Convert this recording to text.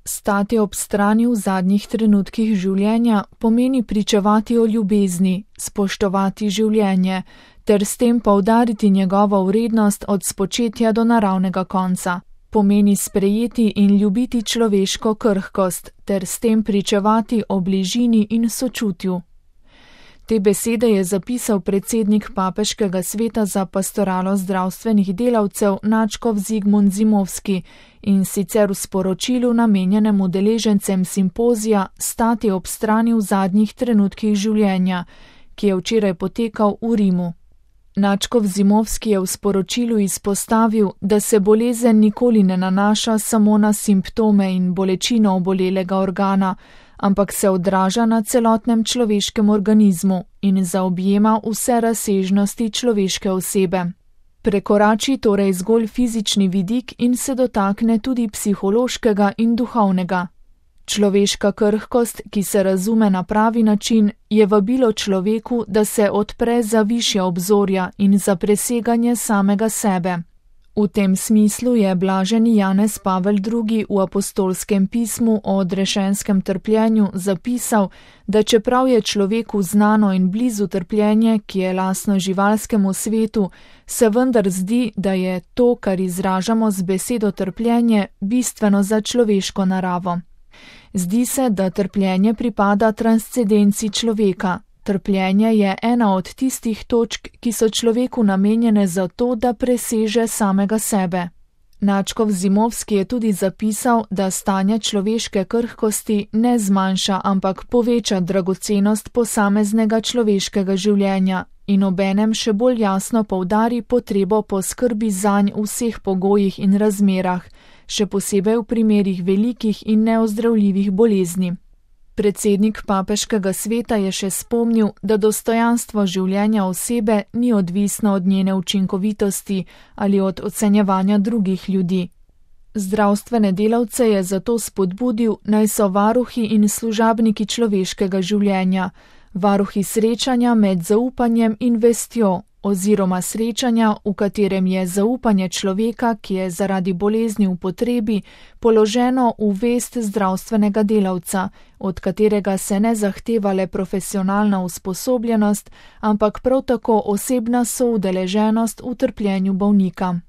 Stati ob strani v zadnjih trenutkih življenja pomeni pričevati o ljubezni, spoštovati življenje, ter s tem poudariti njegovo vrednost od spočetja do naravnega konca. Pomeni sprejeti in ljubiti človeško krhkost, ter s tem pričevati o bližini in sočutju. Te besede je zapisal predsednik Papeškega sveta za pastoralo zdravstvenih delavcev Nadškof Zigmund Zimovski, in sicer v sporočilu namenjenem udeležencem simpozija Stati ob strani v zadnjih trenutkih življenja, ki je včeraj potekal v Rimu. Nadškof Zimovski je v sporočilu izpostavil, da se bolezen nikoli ne nanaša samo na simptome in bolečino obolelega organa, ampak se odraža na celotnem človeškem organizmu in zaobjema vse razsežnosti človeške osebe. Prekorači torej zgolj fizični vidik in se dotakne tudi psihološkega in duhovnega. Človeška krhkost, ki se razume na pravi način, je vabilo človeku, da se odpre za višja obzorja in za preseganje samega sebe. V tem smislu je blaženi Janez Pavel II. V apostolskem pismu o odrešenskem trpljenju zapisal, da čeprav je človeku znano in blizu trpljenje, ki je lastno živalskemu svetu, se vendar zdi, da je to, kar izražamo z besedo trpljenje, bistveno za človeško naravo. Zdi se, da trpljenje pripada transcendenci človeka. Trpljenje je ena od tistih točk, ki so človeku namenjene za to, da preseže samega sebe. Nadškof Zimovski je tudi zapisal, da stanje človeške krhkosti ne zmanjša, ampak poveča dragocenost posameznega človeškega življenja in obenem še bolj jasno poudari potrebo po skrbi zanj v vseh pogojih in razmerah, še posebej v primerih velikih in neozdravljivih bolezni. Predsednik Papeškega sveta je še spomnil, da dostojanstvo življenja osebe ni odvisno od njene učinkovitosti ali od ocenjevanja drugih ljudi. Zdravstvene delavce je zato spodbudil, naj so varuhi in služabniki človeškega življenja, varuhi srečanja med zaupanjem in vestjo, oziroma srečanja, v katerem je zaupanje človeka, ki je zaradi bolezni v potrebi, položeno v vest zdravstvenega delavca, od katerega se ne zahteva le profesionalna usposobljenost, ampak prav tako osebna soudeleženost v trpljenju bolnika.